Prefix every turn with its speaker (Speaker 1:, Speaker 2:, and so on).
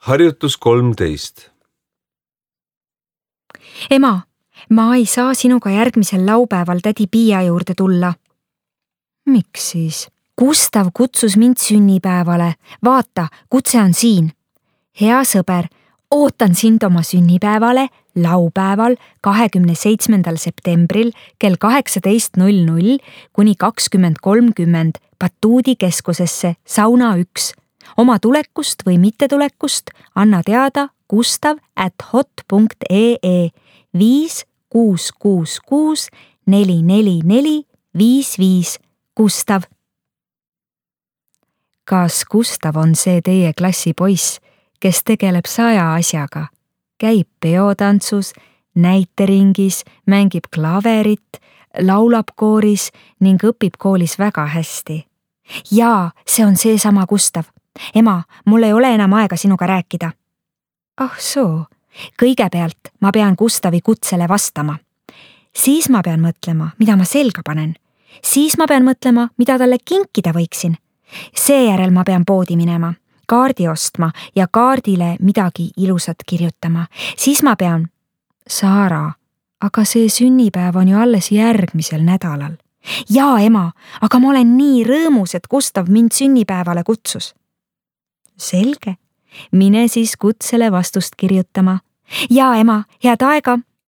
Speaker 1: Harjutus 13.
Speaker 2: Ema, ma ei saa sinuga järgmisel laupäeval tädi Piia juurde tulla. Miks siis? Gustav kutsus mind sünnipäevale. Vaata, kutse on siin. Hea sõber, ootan sind oma sünnipäevale laupäeval 27. septembril kell 18:00 kuni 20:30 Batuudi keskusesse sauna 1. Oma tulekust või mittetulekust anna teada gustav@hot.ee 5666 444 55. Gustav. Kas Gustav on see teie klassi poiss, kes tegeleb 100 asjaga? Käib peotantsus, näiteringis, mängib klaverit, laulab kooris ning õpib koolis väga hästi. Jaa, see on seesama Gustav. Ema, mul ei ole enam aega sinuga rääkida. Ah soo, kõigepealt ma pean Gustavi kutsele vastama. Siis ma pean mõtlema, mida ma selga panen. Siis ma pean mõtlema, mida talle kinkida võiksin. Seejärel ma pean poodi minema, kaardi ostma ja kaardile midagi ilusat kirjutama. Siis ma pean... Saara, aga see sünnipäev on ju alles järgmisel nädalal. Jaa, ema, aga ma olen nii rõõmus, et Gustav mind sünnipäevale kutsus. Selge, mine siis kutsele vastust kirjutama. Jaa, ema, head aega!